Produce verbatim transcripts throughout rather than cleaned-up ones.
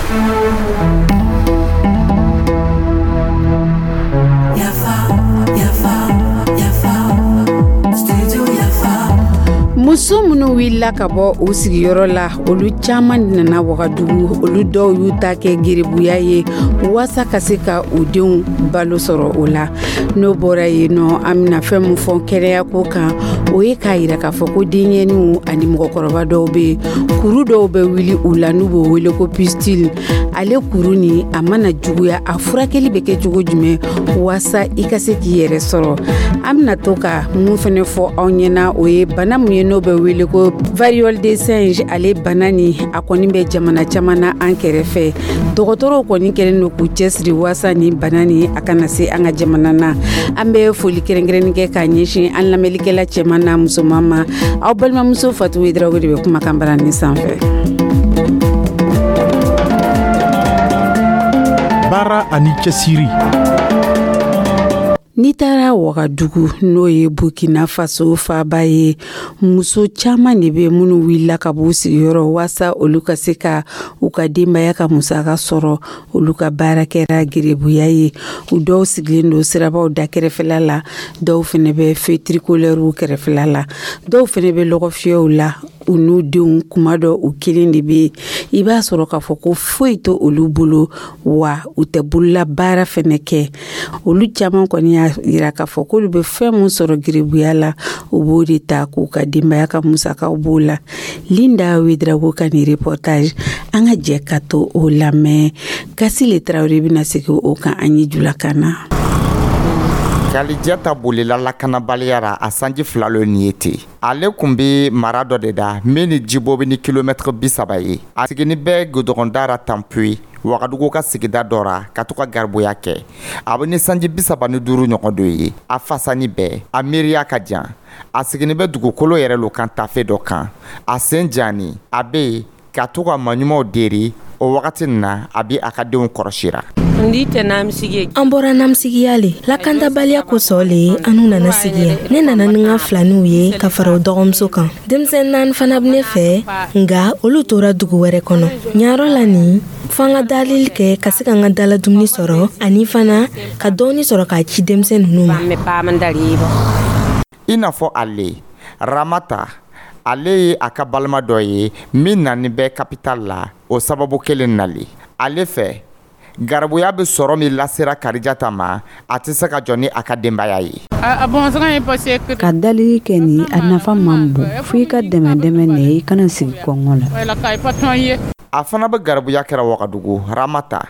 Yafa, yafa, yafa, studio Yafa. Muso minnu wulila ka bɔ u sigiyɔrɔ la, olu caman nana Wagadugu. Olu dɔw y'u ta kɛ geribuya ye waasa ka se ka u denw balo sɔrɔ o la. N'o bɔra yen nɔ, an bɛna fɛn min fɔ kɛnɛyako kan, o ye k'a yira k'a fɔ ko denyɛrɛninw ani mɔgɔkɔrɔba dɔw bɛ yen, kuru dɔw bɛ wuli u la n'u b'o wele ko pustule. Ale kuru nin, a mana juguya, a furakɛli bɛ kɛ cogo jumɛn waasa i ka se k'i yɛrɛ sɔrɔ? An bɛna to ka mun fɛnɛ fɔ aw ɲɛna, o ye bana mun ye n'o bɛ wele ko variole de singe. Ale bana nin, a kɔni bɛ jamana caman na an kɛrɛfɛ. Dɔgɔtɔrɔw kɔni kɛlen don k'u cɛsiri waasa nin bana nin a kana se an ka jamana na. An bɛ foli kɛrɛnkɛrɛnnin kɛ k'a ɲɛsin an lamɛnlikɛla cɛman n'a musoman ma. Aw balimamuso Fatu Ouédraogo de bɛ kumakan bara nin sanfɛ. Baara ani cɛsiri. N'i taara Wagadugu, n'o ye Burkina Faso faaba ye, muso caman de bɛ minnu wulila ka b'u sigiyɔrɔ waasa olu ka se ka u ka denbaya ka musaka sɔrɔ. Olu ka baara kɛra gerebuya ye. U dɔw sigilen don sirabaw da kɛrɛfɛla la, dɔw fɛnɛ bɛ feu tricolairew kɛrɛfɛla la, dɔw fɛnɛ bɛ lɔgɔfiyɛw la u n'u denw. Kuma dɔ, u kelen de bɛ yen. I b'a sɔrɔ k'a fɔ ko foyi tɛ olu bolo, wa u tɛ bolola baara fɛnɛ kɛ. Olu caman kɔni y'a yira k'a fɔ k'olu bɛ fɛn min sɔrɔ gerebuya la, u b'o de ta k'u ka denbaya ka musakaw b'o la. Linda Ouédraogo ka nin reportage, an ka jɛ ka to o lamɛn. Kasile Tarawele bɛna segin o kan an ye julakan na. Kalijata bolila lakanabaliya ra a sanji fila lo nin ye ten. Ale kun be mara dɔ de da min ni jibo bɛ ni kilomɛtɛrɛ bi saba ye. A sigini bɛ godɔgɔnda ra Tanpuyi, Wagadugu ka sigida dɔ ra, ka to ka garibuya kɛ. A bɛ ni sanji bi saba ni duuru ɲɔgɔn dɔ ye. A fasani bɛɛ, a miiriya ka jan. A sigini bɛ dugukolo yɛrɛ lo kan tafe dɔ kan. A sen jani, a bɛ yen ka to ka maɲumanw deri. O wagati nin na, a bɛ a ka denw kɔrɔsira. An bɔra namisigiya le, lakantabaliya kosɔn le an nana sigi yan. Ne nana ni n ka filaniw ye ka fara o dɔgɔmuso kan. Denmisɛn naani fana bɛ ne fɛ, nka olu tora dugu wɛrɛ kɔnɔ. Ɲayɔrɔ la nin, fo an ka dalili kɛ ka se ka n ka dala dumuni sɔrɔ, ani fana ka dɔɔni sɔrɔ k'a ci denmisɛn ninnu ma. I n'a fɔ ale Ramata, ale ye a ka balima dɔ ye min nani bɛ capital la o sababu kelen nali. Ale fɛ, garibuya bɛ sɔrɔ min lasera Karijata ma, a tɛ se ka jɔ ni a ka denbaya ye. Ka dalili kɛ nin, a nafa man bon, fo i ka dɛmɛ dɛmɛ ne, i kana sigi kɔngɔ la. A fana bɛ garibuya kɛra Wagadugu. Ramata,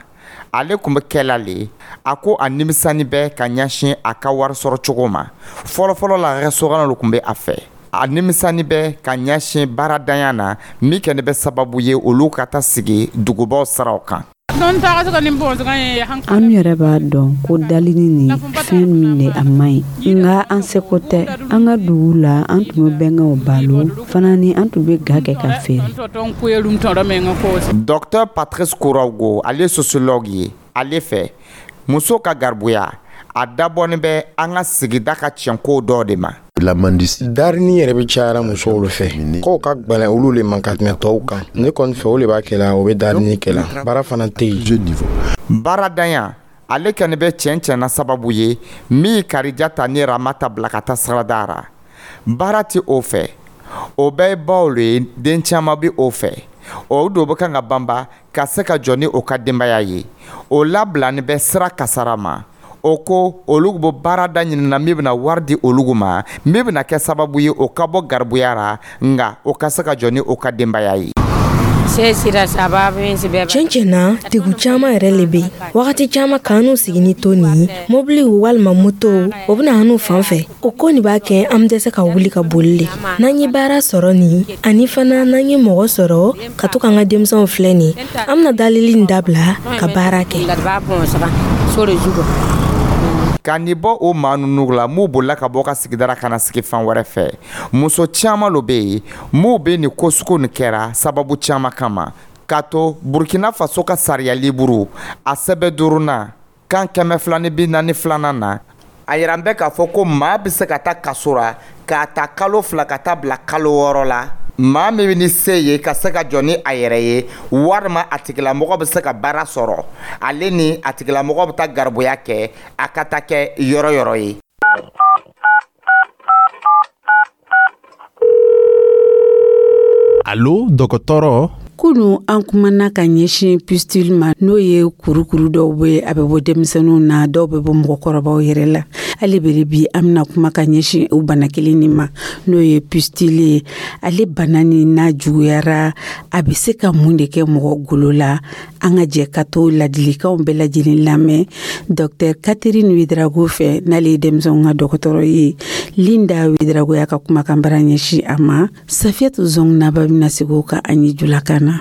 ale tun bɛ kɛla le. A ko a nimisani bɛ ka ɲɛsin a ka wari sɔrɔ cogo ma. Fɔlɔfɔlɔ la, restaurant tun bɛ a fɛ. A nimisani bɛ ka ɲɛsin baaradanya na min kɛni bɛ sababu ye olu ka taa sigi dugubaw siraw kan. An yɛrɛ b'a dɔn ko dalini nin, fɛn min de, a man ɲi, nka an seko tɛ. An ka dugu la, an tun bɛ bɛnkɛw balo fana ni an tun bɛ ga kɛ ka feere. Docteur Patrice Kouraogo, ale ye sociologue ye. Ale fɛ, muso ka garibuya, a dabɔnin bɛ an ka sigida ka tiɲɛko dɔ de ma. Darini yɛrɛ bɛ cayara musow le fɛ. Kow ka gwɛlɛn olu le ma ka tɛmɛ tɔw kan. Ne kɔni fɛ, o le b'a kɛla o bɛ darini kɛla. Baara fana tɛ yen. Baaradanya, ale kɔni bɛ tiɲɛ tiɲɛna sababu ye min Karijata ni Ramata bila ka taa sirada ra. Baara tɛ o fɛ, o bɛɛ ye baw le ye. Den caman bɛ o fɛ, o do bɛ kan ka banba ka se ka jɔ ni o ka denbaya ye. O labilani bɛ sira kasara ma. O ko olu bɛ baarada ɲinina min bɛna wari di olu ma, min bɛna kɛ sababu ye o ka bɔ garibuya ra, nka o ka se ka jɔ ni o ka denbaya ye. Tiɲɛ tiɲɛ na, degun caman yɛrɛ le bɛ yen. Wagati caman, k'an n'u sigi ni to nin ye, mobiliw walima motow, o bɛna an n'u fan fɛ. O ko nin b'a kɛ an bɛ dɛsɛ ka wuli ka boli le. N'an ye baara sɔrɔ nin, ani fana n'an ye mɔgɔ sɔrɔ ka to k'an ka denmisɛnw filɛ nin, an bɛna dalili nin dabila ka baara kɛ. Ka nin bɔ o maa ninnu la m'u bolila ka bɔ ka sigidara ka na sigi fan wɛrɛ fɛ, muso caman lo bɛ yen m'u bɛ nin ko sugu nin kɛra sababu caman kama. K'a to Burkina Faso ka sariya liburu a sɛbɛn duurunan kan kɛmɛ fila ni bi naani filanan na, a yira bɛ k'a fɔ ko maa bɛ se ka taa kaso ra k'a ta kalo fila ka taa bila kalo wɔɔrɔ la. Maa min bɛ ni se ye ka se ka jɔ ni a yɛrɛ ye, walima a tigilamɔgɔ bɛ se ka baara sɔrɔ, ale ni a tigilamɔgɔ bɛ taa garibuya kɛ, a ka taa kɛ yɔrɔ yɔrɔ ye. Allo dɔgɔtɔrɔ. Kunu an kumana ka ɲɛsin pustule ma, n'o ye kurukuru dɔw bɛ, a bɛ bɔ denmisɛnninw na, dɔw bɛ bɔ mɔgɔkɔrɔbaw yɛrɛ la. Hali bere bi an bɛna kuma ka ɲɛsin o bana kelen nin ma, n'o ye pustule ye. Ale bana nin n'a juguyara, a bɛ se ka mun de kɛ mɔgɔ golo la? An ka jɛ ka to ladilikanw bɛɛ lajɛlen lamɛn Docteur Catherine Ouedraogo fɛ, n'ale ye denmisɛnw ka dɔgɔtɔrɔ ye. Linda Ouedraogo y'a ka kumakan bara ɲɛsin a ma. Safiyatu Zɔngnaba bɛna segin o kan an ye julakan na.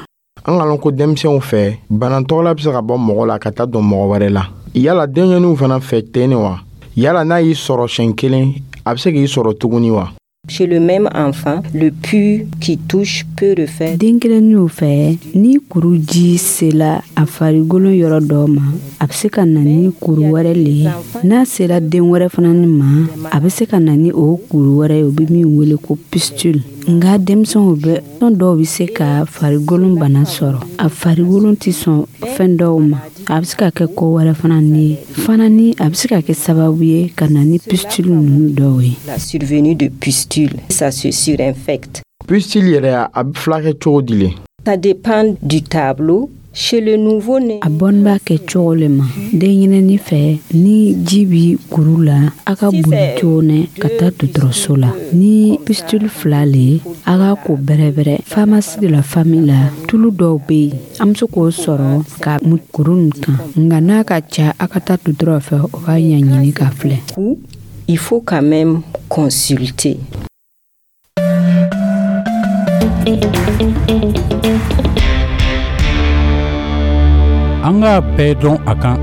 An ka lɔn ko denmisɛnw fɛ, bana tɔgɔla bɛ se ka bɔ mɔgɔ la ka taa don mɔgɔ wɛrɛ la. Yala denɲɛninw fana fɛ ten wa? Yala n'a y'i sɔrɔ siɲɛ kelen, a bɛ se k'i sɔrɔ tuguni wa? Chez le même enfant, le pus qui touche peut refaire. Den kelenninw fɛ, ni kuru ji sela a farikolo yɔrɔ dɔ ma, a bɛ se ka na ni kuru wɛrɛ le ye. N'a sera den wɛrɛ fana ni ma, a bɛ se ka na ni o kuru wɛrɛ ye, o bɛ min wele ko pustule. Nka denmisɛnw bɛ fɛn dɔw bɛ se ka farikolo bana sɔrɔ. A farikolo tɛ sɔn fɛn dɔw ma. A bɛ se ka kɛ ko wɛrɛ fana ni ye. Fana ni a bɛ se ka kɛ sababu ye ka na ni pustule ninnu dɔw ye. La survenue de pustule, ça se surinfecte. Pustule yɛrɛ, a bɛ furakɛ cogo di le? Ça dépend du tableau. Chez le nouveau-né, a bɔnni b'a kɛ cogo le ma. Denɲɛrɛnnin fɛ, ni ji bi kuru la, a ka boli joona ka taa dɔgɔtɔrɔso la. Ni pustule fila le, a k'a ko bɛrɛbɛrɛ. Pharmacie de la famille la, tulu dɔw bɛ yen, an bɛ se k'o sɔrɔ ka mu kuru nin kan. Nka n'a ka ca, a ka taa dɔgɔtɔrɔ fɛ, o k'a ɲɛɲini k'a filɛ. Il faut quand même consulter. An k'a bɛɛ dɔn a kan.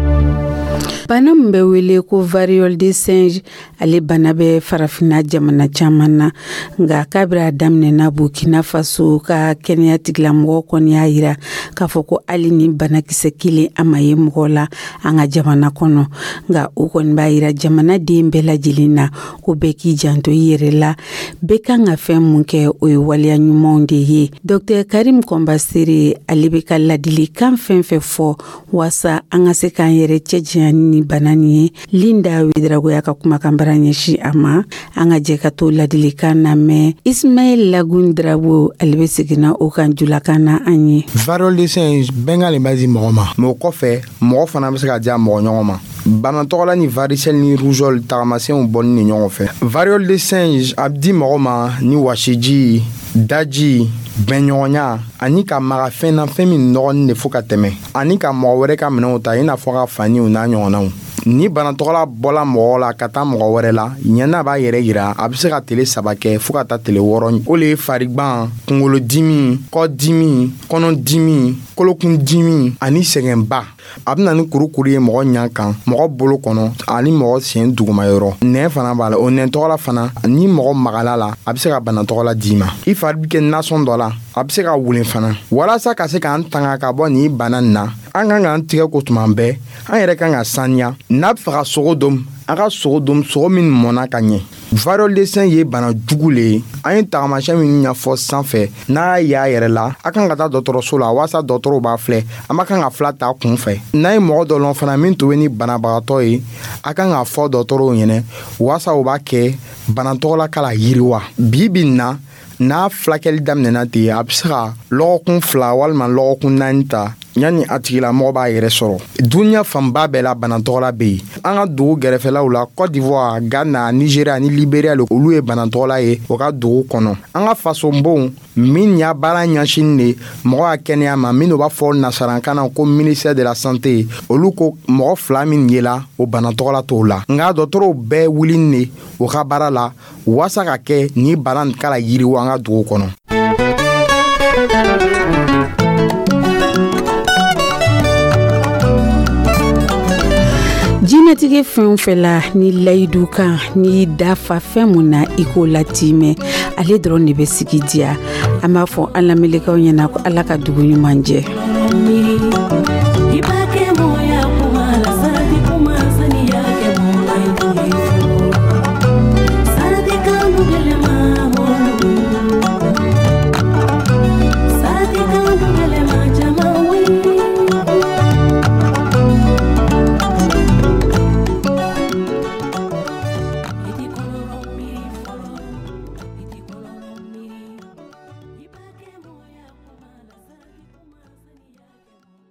Bana min bɛ wele ko variole de singe, ale bana bɛ farafinna jamana caman na. Nka kabiri a daminɛna Burkina Faso ka kɛnɛya tigilamɔgɔ kɔni y'a yira k'a fɔ ko hali ni banakisɛ kelen a ma ye mɔgɔ la an ka jamana kɔnɔ. Nka o kɔni b'a yira jamanaden bɛɛ lajɛlen na ko bɛɛ k'i janto i yɛrɛ la, bɛɛ kan ka fɛn mun kɛ, o ye waleya ɲumanw de ye. Docteur Karim Kɔnbasere, ale bɛ ka ladilikan fɛn fɛn fɔ waasa an ka se k'an yɛrɛ cɛ janya ni bana nin ye. Linda Ouedraogo y'a ka kumakan bara ɲɛsin a ma. An ka jɛ ka to ladilikan lamɛn. Ismaël Lagun Drabo, ale bɛ seginna o kan julakan na an ye. Variole de singe bɛnkan le b'a di mɔgɔ ma, mais o kɔfɛ mɔgɔ fana bɛ se ka diya mɔgɔ ɲɔgɔn ma. Bana tɔgɔla ni varicelle ni rougeole tagamasiyɛnw bɔni ni ɲɔgɔn fɛ. Variole de singe a bɛ di mɔgɔ ma ni wasiji, daji, bɛnɲɔgɔnya ani ka maga fɛn na, fɛn min nɔgɔnin de fo ka tɛmɛ, ani ka mɔgɔ wɛrɛ ka minɛnw ta, i n'a fɔ ka faniw n'a ɲɔgɔnnaw. Ni banatɔgɔla bɔla mɔgɔ la ka taa mɔgɔ wɛrɛ la, ɲɛna b'a yɛrɛ yira, a bɛ se ka tele saba kɛ fo ka taa tele wɔɔrɔ. O le ye farigban, kunkolodimi, kɔdimi, kɔnɔdimi, kolokundimi ani sɛgɛnba. A bɛ na ni kurukuru ye mɔgɔ ɲɛ kan, mɔgɔ bolo kɔnɔ ani mɔgɔ sen dugumayɔrɔ. Nɛn fana b'a la, o nɛn tɔgɔla fana, ni mɔgɔ magala la, a bɛ se ka bana tɔgɔla d'i ma. I fari bɛ kɛ nasɔn dɔ la, a bɛ se ka wulen fana. Walasa ka se k'an tanga ka bɔ nin bana nin na, an kan k'an tigɛ ko tuma bɛɛ, an yɛrɛ kan ka saniya. N'a bɛ fɛ ka sogo dom, an ka sogo dom, sogo min mɔnna ka ɲɛ. Variole de singe ye bana jugu le ye. An ye tagamasiyɛn minnu ɲɛfɔ sanfɛ, n'a y'a yɛrɛ la, a kan ka taa dɔgɔtɔrɔso la walasa dɔgɔtɔrɔw b'a filɛ. An ma kan ka fila ta kun fɛ. N'a ye mɔgɔ dɔ lɔn fana min tun bɛ ni banabagatɔ ye, a kan k'a fɔ dɔgɔtɔrɔw ɲɛnɛ walasa u b'a kɛ bana tɔgɔla k'a la yiriwa. Bi bi in na, n'a furakɛli daminɛna ten, a bɛ se ka lɔgɔkun fila walima lɔgɔkun naani ta yanni a tigilamɔgɔ b'a yɛrɛ sɔrɔ. Duniya fanba bɛɛ la bana tɔgɔla bɛ yen. An ka dugu gɛrɛfɛlaw la, Côte d'Ivoire, Ghana, Nigeria ni Liberia le, olu ye bana tɔgɔla ye o ka dugu kɔnɔ. An ka fasonbonw min y'a baara ɲɛsin de mɔgɔ ka kɛnɛya ma, minnu b'a fɔ nasarankan na ko ministère de la santé, olu ko mɔgɔ fila min yela o bana tɔgɔla t'o la. Nka dɔgɔtɔrɔw bɛɛ wulini de o ka baara la walasa ka kɛ ni bana nin k'a la yiriwa an ka dugu kɔnɔ. Jinɛtigɛ fɛn o fɛn la, ni layidu kan, n'i dafa fɛn mun na, i k'o latimɛ, ale dɔrɔn de bɛ sigi diya. An b'a fɔ an lamɛnlikaw ɲɛna ko Ala ka dugu ɲuman jɛ.